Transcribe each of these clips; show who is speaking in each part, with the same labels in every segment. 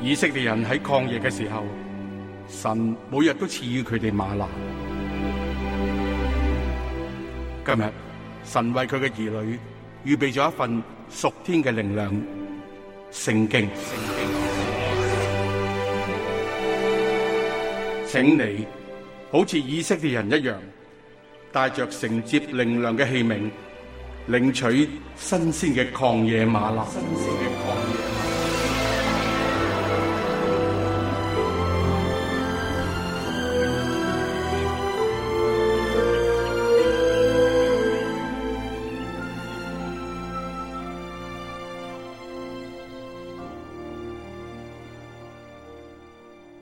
Speaker 1: 以色列人喺曠野嘅時候，神每日都賜予佢哋嗎哪。今日神為佢嘅兒女預備咗一份屬天嘅靈糧——聖經。請你好似以色列人一樣，帶着承接靈糧嘅器皿，領取新鮮嘅曠野嗎哪。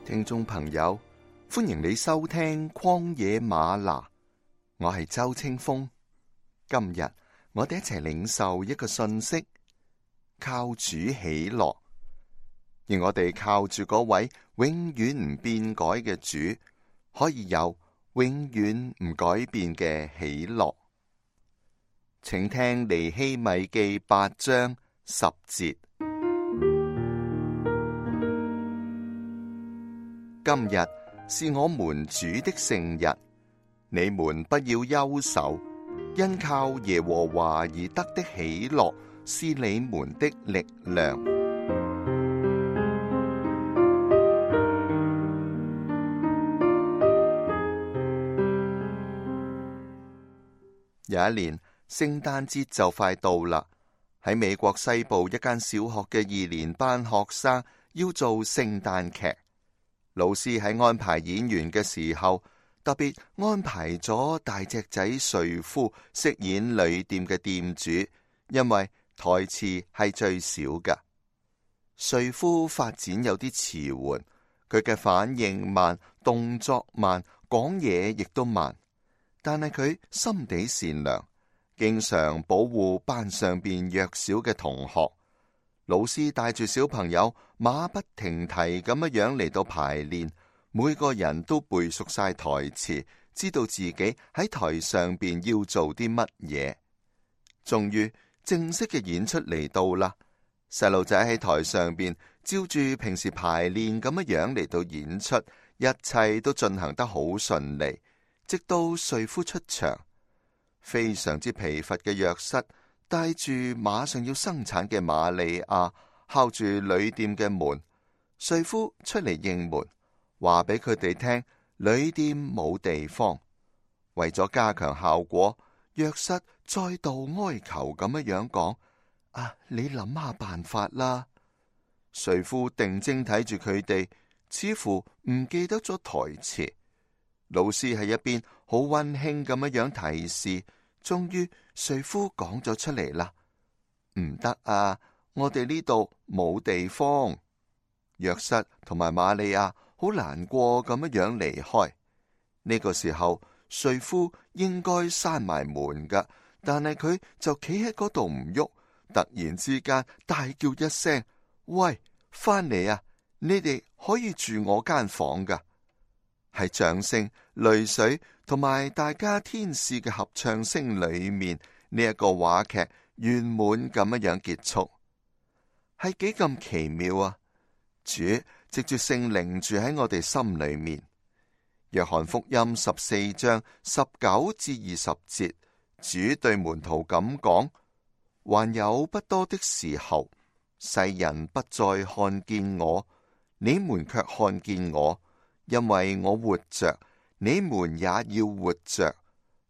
Speaker 2: 聽眾朋友，歡迎你收聽曠野嗎哪，我係周清風。今日我哋一齊領受一個信息，靠主喜樂，而我哋靠住嗰位永遠唔變改嘅主，可以有永遠唔改變嘅喜樂。請聽尼希米記8章10節。今日是我們主的聖日，你們不要憂愁，因靠耶和華而得的喜樂是你們的力量。有一年，聖誕節就快到啦，喺美國西部一間小學嘅2年班學生要做聖誕劇。老師喺安排演員嘅時候，特別安排咗大隻仔瑞夫飾演旅店嘅店主，因為台詞係最少㗎。瑞夫發展有啲遲緩，佢嘅反應慢，動作慢，講嘢亦都慢，但係佢心地善良，經常保護班上邊弱小嘅同學。老師帶住小朋友馬不停蹄咁樣嚟到排練，每個人都背熟晒台詞，知道自己喺台上邊要做啲乜嘢。終於正式嘅演出嚟到啦，細路仔喺台上邊照住平時排練咁樣嚟到演出，一切都進行得好順利，直到瑞夫出場。非常之疲乏嘅約瑟帶住馬上要生產嘅瑪利亞，敲住旅店嘅門。瑞夫出嚟應門，話俾佢哋聽旅店冇地方。為咗加強效果，約瑟再度哀求咁樣講：你諗下辦法啦。瑞夫定睛睇住佢哋，似乎唔記得咗台詞。老師喺一邊好溫馨咁樣提示。終於瑞夫講咗出嚟啦，唔得啊！我哋呢度冇地方。約瑟同埋瑪利亞好難過咁樣離開。呢個時候，瑞夫應該閂埋門噶，但係佢就企喺嗰度唔喐。突然之間大叫一聲：喂，翻嚟啊！你哋可以住我間房噶。喺掌聲、淚水同埋大家天使嘅合唱聲裏面，呢一個話劇圓滿咁樣結束，係幾咁奇妙啊！主藉住聖靈住喺我哋心裏面。約翰福音14章19至20節，主對門徒咁講：還有不多的時候，世人不再看見我，你們卻看見我。因為我活着，你們也要活着。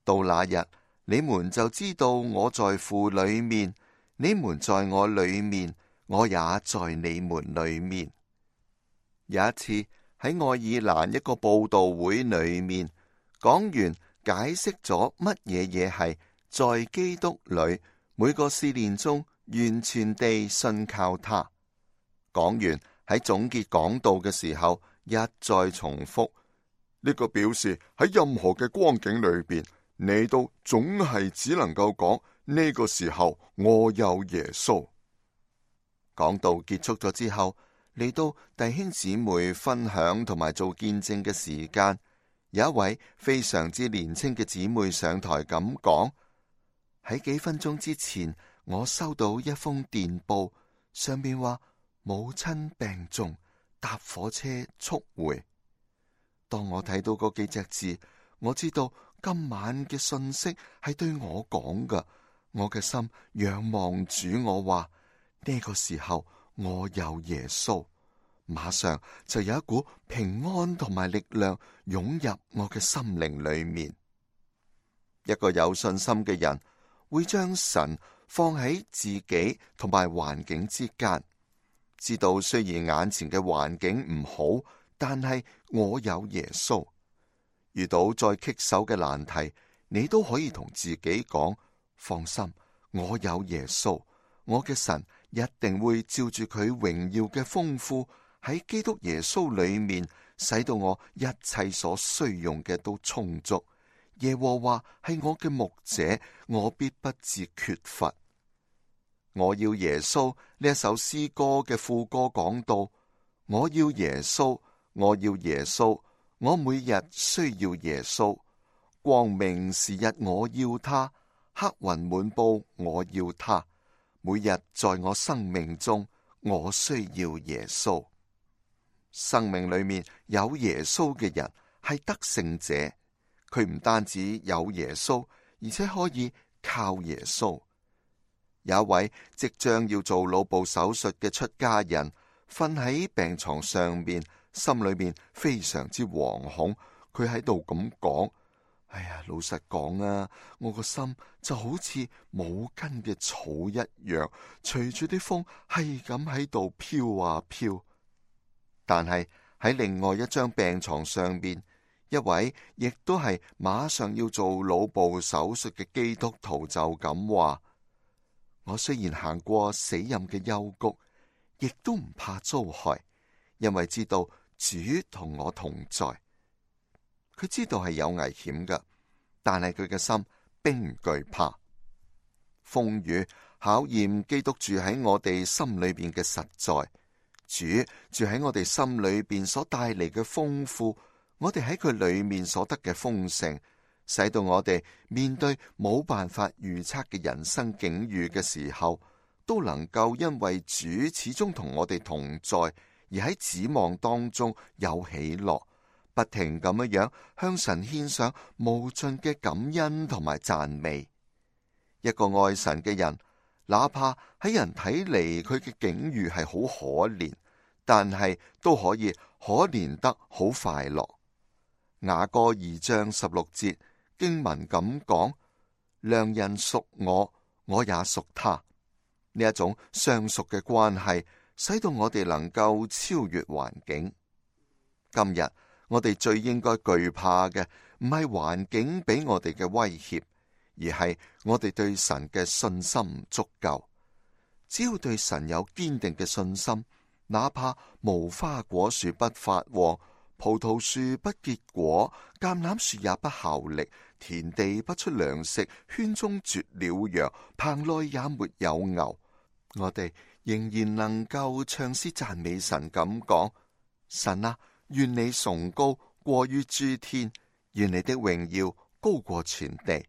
Speaker 2: 到那日，你們就知道我在父裏面，你們在我裏面，我也在你們裏面。有一次喺愛爾蘭一個佈道會裏面，講員解釋咗乜嘢係在基督裏每個試煉中完全地信靠他。講員喺總結講道嘅時候，一再重複呢個表示喺任何嘅光景裏邊，你都總係只能夠講呢個時候我有耶穌。講道結束咗之後，嚟到弟兄姊妹分享同埋做見證嘅時間，有一位非常之年輕嘅姊妹上台咁講：喺幾分鐘之前，我收到一封電報，上面話母親病重，搭火車速回。當我睇到嗰幾隻字，我知道今晚嘅信息係對我講㗎。我嘅心仰望主，我話呢個時候我有耶穌，馬上就有一股平安同埋力量湧入我嘅心靈裏面。一個有信心嘅人會將神放喺自己同埋環境之間，知道雖然眼前嘅環境唔好，但係我有耶穌。遇到再棘手嘅難題，你都可以同自己講：放心，我有耶穌，我嘅神一定會照住佢榮耀嘅豐富喺基督耶穌裏面，使到我一切所需用嘅都充足。耶和華係我嘅牧者，我必不致缺乏。我要耶穌呢一首詩歌嘅副歌講到：我要耶穌，我要耶穌，我每日需要耶穌。光明時日我要他，黑雲滿布我要他。每日在我生命中，我需要耶穌。生命裏面有耶穌嘅人係得勝者。佢唔單止有耶穌，而且可以靠耶穌。有一位即將要做腦部手術嘅出家人，瞓喺病床上面，心裏面非常之惶恐。佢喺度咁講：哎呀，老實講啊，我個心就好似冇根嘅草一樣，隨住啲風係咁喺度飄啊飄。但係喺另外一張病床上面，一位亦都係馬上要做腦部手術嘅基督徒就咁話：我雖然行過死蔭嘅幽谷，亦都唔怕遭害，因為知道主同我同在。佢知道係有危險㗎，但係佢嘅心並唔懼怕。風雨考驗基督住喺我哋心裏邊嘅實在，主住喺我哋心裏邊所帶嚟嘅豐富，我哋喺佢裏面所得嘅豐盛，使到我哋面對冇辦法預測嘅人生境遇嘅時候，都能夠因為主始終同我哋同在，而喺指望當中有喜樂，不停咁樣向神獻上無盡嘅感恩同埋讚美。一個愛神嘅人，哪怕喺人睇嚟佢嘅境遇係好可憐，但係都可以可憐得好快樂。雅歌2章16節經文咁講：良人屬我，我也屬他。呢一種相屬嘅關係，使到我哋能夠超越環境。今日我哋最應該懼怕嘅，唔係環境俾我哋嘅威脅，而係我哋對神嘅信心唔足夠。只要對神有堅定嘅信心，哪怕無花果樹不發旺，葡萄樹不結果，橄欖樹也不效力，田地不出糧食，圈中絕了羊，棚內也沒有牛，我哋仍然能夠唱詩讚美神咁講：神啊，願你崇高過於諸天，願你的榮耀高過全地。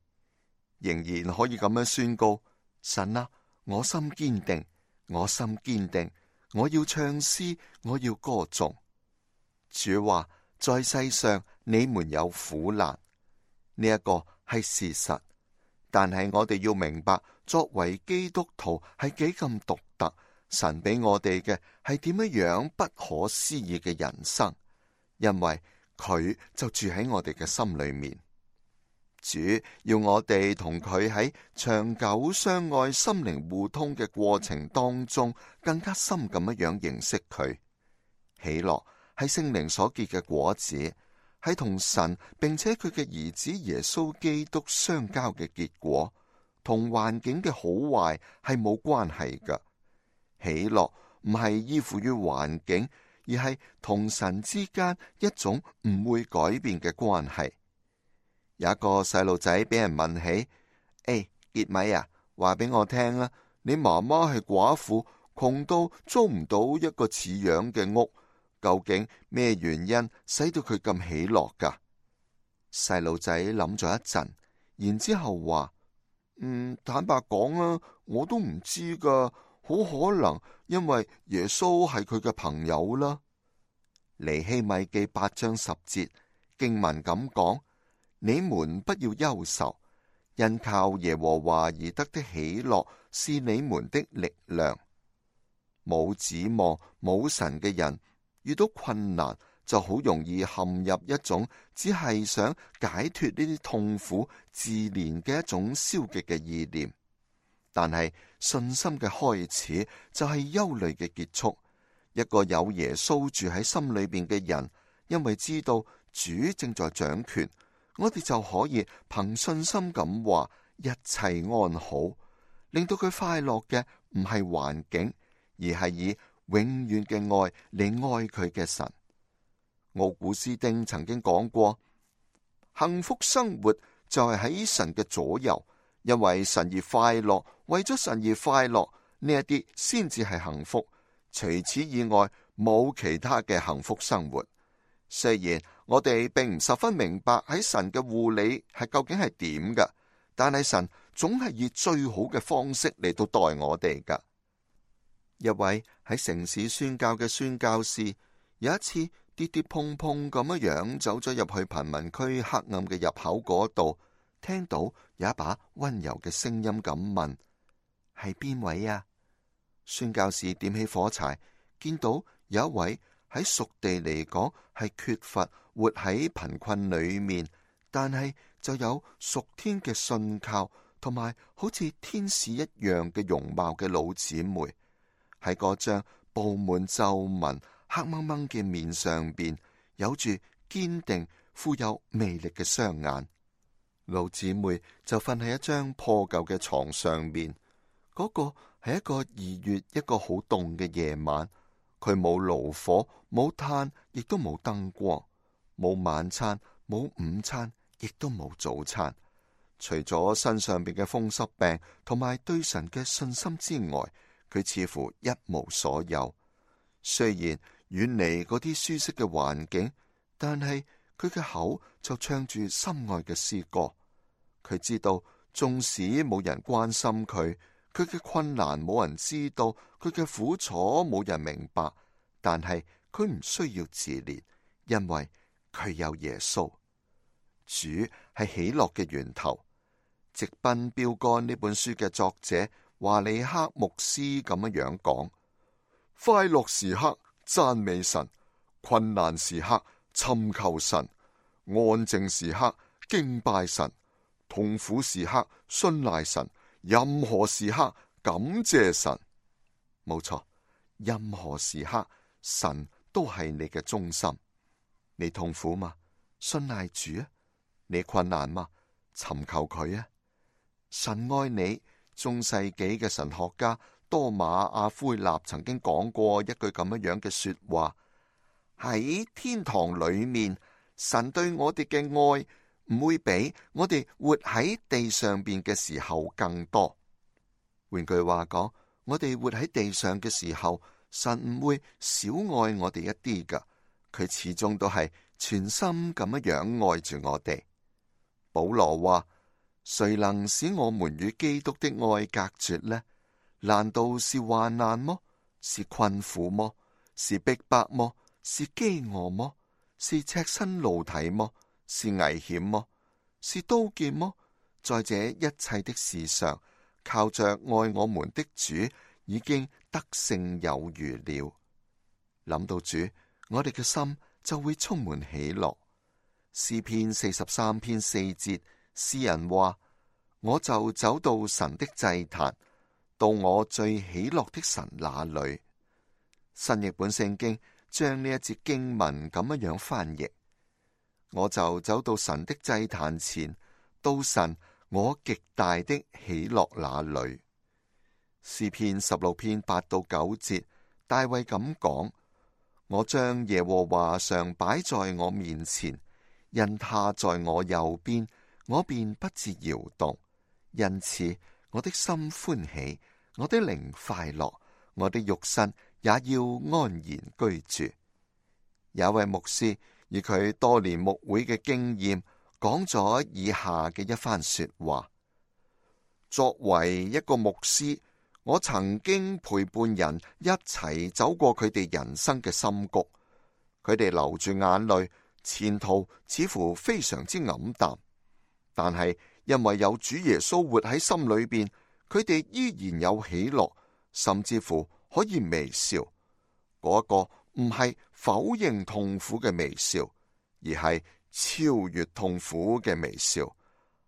Speaker 2: 仍然可以咁樣宣告：神啊，我心堅定，我心堅定，我要唱詩，我要歌頌。主話：在世上你們有苦難，呢一個係事實。但係我哋要明白，作為基督徒係幾咁獨特，神俾我哋嘅係點樣不可思議嘅人生，因為佢就住喺我哋嘅心裏面。主要我哋同佢喺長久相愛、心靈互通嘅過程當中，更加深咁樣認識佢。喜樂係聖靈所結嘅果子，係同神並且佢嘅兒子耶穌基督相交嘅結果，同環境嘅好壞係冇關係㗎。喜樂唔係依附於環境，而係同神之間一種唔會改變嘅關係。有一個細路仔俾人問起：傑米啊，話俾我聽啊，你媽媽係寡婦，窮到租唔到一個似樣嘅屋，究竟咩原因使到佢咁喜樂㗎？細路仔諗咗一陣，然之後話：坦白講啊，我都唔知㗎，好可能因為耶穌係佢嘅朋友啦。尼希米記8章10節經文咁講：你們不要憂愁，因靠耶和華而得的喜樂是你們的力量。冇指望冇神嘅人，遇到困難就好容易陷入一種只係想解脫呢啲痛苦自憐嘅一種消極嘅意念。但係信心嘅開始就係憂慮嘅結束。一個有耶穌住喺心裏邊嘅人，因為知道主正在掌權，我哋就可以憑信心咁話一切安好，令到佢快樂嘅唔係環境，而係以永遠嘅愛嚟愛佢嘅神。奧古斯丁曾經講過，幸福生活就係喺神嘅左右，因為神而快樂，為咗神而快樂，呢一啲先至係幸福。除此以外，冇其他嘅幸福生活。雖然我哋並唔十分明白喺神嘅護理係究竟係點㗎，但係神總係以最好嘅方式嚟到待我哋㗎。一位喺城市宣教嘅宣教士，有一次跌跌碰碰咁樣走咗入去貧民區黑暗嘅入口嗰度，聽到有一把溫柔嘅聲音咁問：係邊位啊？宣教士點起火柴，見到有一位喺屬地嚟講係缺乏活喺貧困裏面，但係就有屬天嘅信靠同埋好似天使一樣嘅容貌嘅老姊妹，喺嗰張布滿皺紋黑掹掹嘅面上邊有住堅定富有魅力嘅雙眼。老姊妹就瞓喺一張破舊嘅床上面，嗰個係一個2月一個好凍嘅夜晚，佢冇爐火，冇炭，亦都冇燈光，冇晚餐，冇午餐，亦都冇早餐。除咗身上邊嘅風濕病同埋對神嘅信心之外，佢似乎一無所有。雖然遠離嗰啲舒適嘅環境，但係佢嘅口就唱住心愛嘅詩歌。佢知道，縱使冇人關心佢，佢嘅困難冇人知道，佢嘅苦楚冇人明白，但係佢唔需要自憐，因為佢有耶穌。主係喜樂嘅源頭。直奔標杆呢本書嘅作者華里克牧師咁樣講：快樂時刻讚美神，困難時刻尋求神，安靜時刻敬拜神，痛苦時刻信賴神，任何時刻感謝神。冇錯，任何時刻神都係你嘅中心。你痛苦嗎？信賴主啊！你困難嗎？尋求佢啊！神愛你。中世紀嘅神學家多馬阿奎納曾經講過一句咁樣嘅說話：喺天堂裏面，神對我哋嘅愛唔會比我哋活喺地上邊嘅時候更多。換句話講，我哋活喺地上嘅時候，神唔會少愛我哋一啲噶，佢始終都係全心咁樣愛住我哋。保羅話：誰能使我們與基督的愛隔絕呢？難道是患難麼？是困苦麼？是逼迫麼？是飢餓麼？是赤身露體麼？是危險麼？是刀劍麼？在這一切的事上，靠着愛我們的主，已經得勝有餘了。諗到主，我哋嘅心就會充滿喜樂。詩篇43篇4節，詩人話：我就走到神的祭壇，到我最喜樂的神那裏。新譯本聖經將呢一節經文咁樣翻譯：我就走到神的祭壇前，到神我極大的喜樂那裏。詩篇16篇8到9節，大衛咁講：我將耶和華常擺在我面前，因他在我右邊，我便不致搖動。因此我的心歡喜，我的靈快樂，我的肉身也要安然居住。有位牧師以佢多年牧會嘅經驗，講咗以下嘅一番說話：作為一個牧師，我曾經陪伴人一齊走過佢哋人生嘅深谷，佢哋流住眼淚，前途似乎非常之黯淡。但係因為有主耶穌活喺心裏邊，佢哋依然有喜樂，甚至乎可以微笑。嗰個唔係否認痛苦嘅微笑，而係超越痛苦嘅微笑，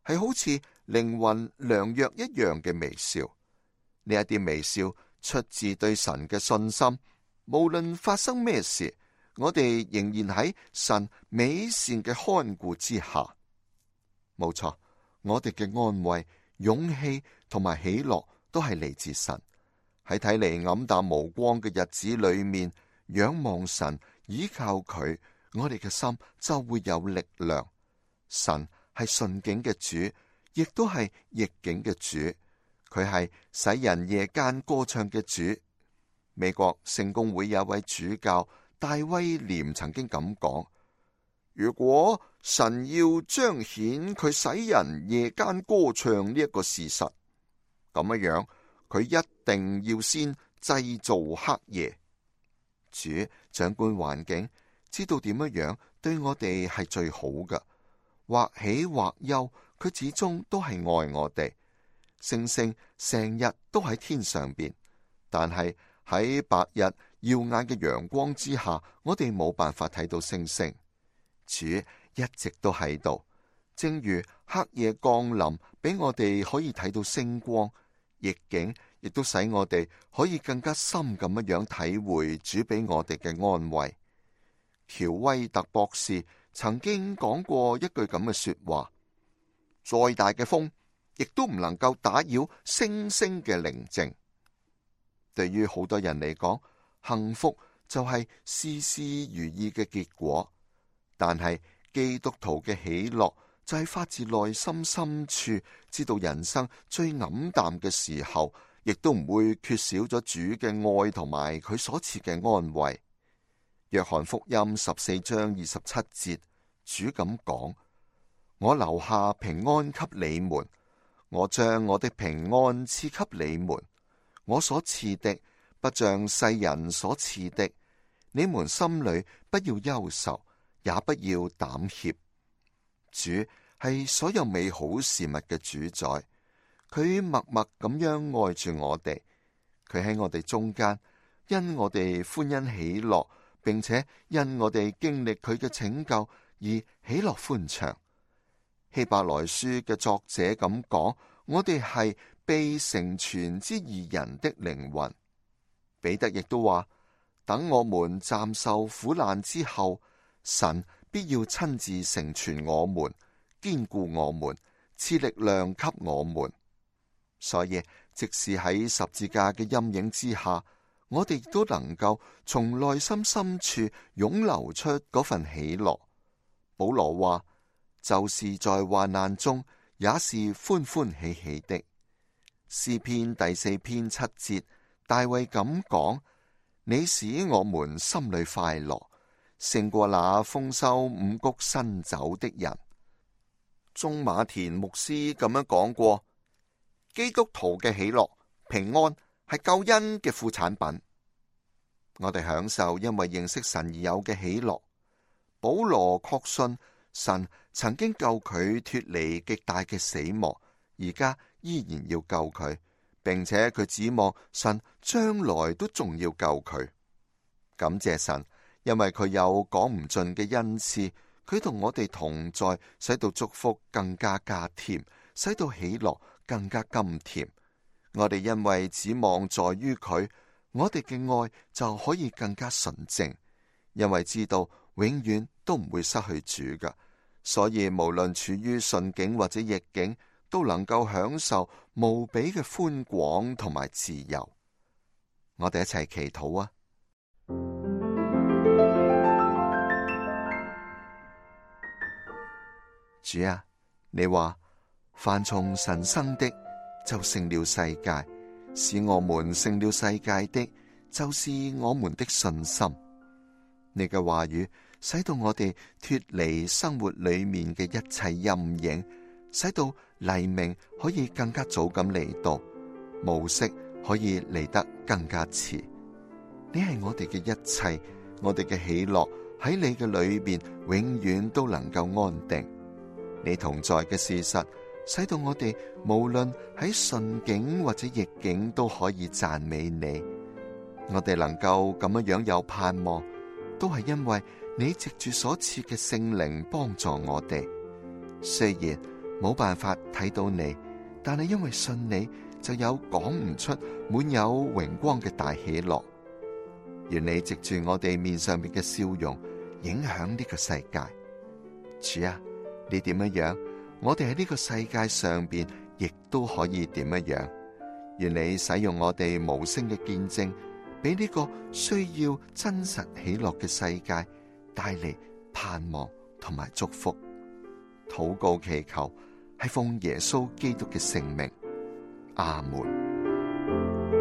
Speaker 2: 係好似靈魂良藥一樣嘅微笑。呢一啲微笑出自對神嘅信心，無論發生咩事，我哋仍然喺神美善嘅看顧之下。冇錯，我哋嘅安慰、勇氣同埋喜樂都係嚟自神。喺睇嚟黯淡無光嘅日子裏面，仰望神，依靠佢，我哋嘅心就會有力量。神係順境嘅主，亦都係逆境嘅主。佢係使人夜間歌唱嘅主。美國聖公會有位主教戴威廉曾經咁講：如果神要彰顯佢使人夜間歌唱呢一個事實，咁樣佢一定要先製造黑夜。主掌管環境，知道點樣對我哋係最好嘅，或喜或憂，佢始終都係愛我哋。星星成日都喺天上邊，但係喺白日耀眼嘅陽光之下，我哋冇辦法睇到星星。主一直都喺度，正如黑夜降臨，俾我哋可以睇到星光，逆境亦都使我哋可以更加深咁樣體會主俾我哋嘅安慰。喬威特博士曾經講過一句咁嘅說話：再大嘅風，亦都唔能夠打擾星星嘅寧靜。對於好多人嚟講，幸福就係事事如意嘅結果，但係基督徒嘅喜樂就係發自內心深處，知道人生最黯淡嘅時候，亦都唔會缺少咗主嘅愛同埋佢所賜嘅安慰。約翰福音14章27節，主咁講：我留下平安給你們，我將我的平安賜給你們，我所賜的不像世人所賜的，你們心裏不要憂愁，也不要膽怯。主係所有美好事物嘅主宰，佢默默咁樣愛住我哋，佢喺我哋中間，因我哋歡欣喜樂，並且因我哋經歷佢嘅拯救而喜樂歡暢。希伯來書嘅作者咁講：我哋係被成全之義人的靈魂。彼得亦都話：等我們暫受苦難之後，神必要親自成全我們，堅固我們，賜力量給我們。所以，即使喺十字架嘅陰影之下，我哋都能夠從內心深處湧流出嗰份喜樂。保羅話：就是在患難中，也是歡歡喜喜的。詩篇第4篇7節，大衛咁講：你使我們心裏快樂，勝過那豐收五穀新酒的人。鍾馬田牧師咁樣講過：基督徒嘅喜樂、平安係救恩嘅副產品。我哋享受因為認識神而有嘅喜樂。保羅確信神曾經救佢脫離極大嘅死亡，而家依然要救佢，並且佢指望神將來都仲要救佢。感謝神，因為佢有講唔盡嘅恩賜，佢同我哋同在，使到祝福更加加添，使到喜樂更加甘甜。我哋因為指望在於佢，我哋嘅愛就可以更加純正，因為知道永遠都唔會失去主噶，所以無論處於順境或者逆境，都能夠享受無比嘅寬廣同埋自由。我哋一齊祈禱啊！主啊，你話凡從神生的就勝了世界，使我們勝了世界的就是我們的信心。你嘅話語使到我哋脫離生活裏面嘅一切陰影，使到黎明可以更加早咁嚟到，暮色可以嚟得更加遲。你係我哋嘅一切，我哋嘅喜樂喺你嘅裏邊永遠都能夠安定。你同在嘅事實，使到我哋無論喺順境或者逆境都可以讚美你。我哋能夠咁樣有盼望，都係因為你藉住所賜嘅聖靈幫助我哋。雖然冇辦法睇到你，但係因為信你，就有講唔出滿有榮光嘅大喜樂。願你藉住我哋面上面嘅笑容，影響呢個世界。主啊，你點樣，我哋喺呢個世界上邊亦都可以點樣。願你使用我哋無聲嘅見證，俾呢個需要真實喜樂嘅世界帶嚟盼望同埋祝福。禱告祈求係奉耶穌基督嘅聖名，阿門。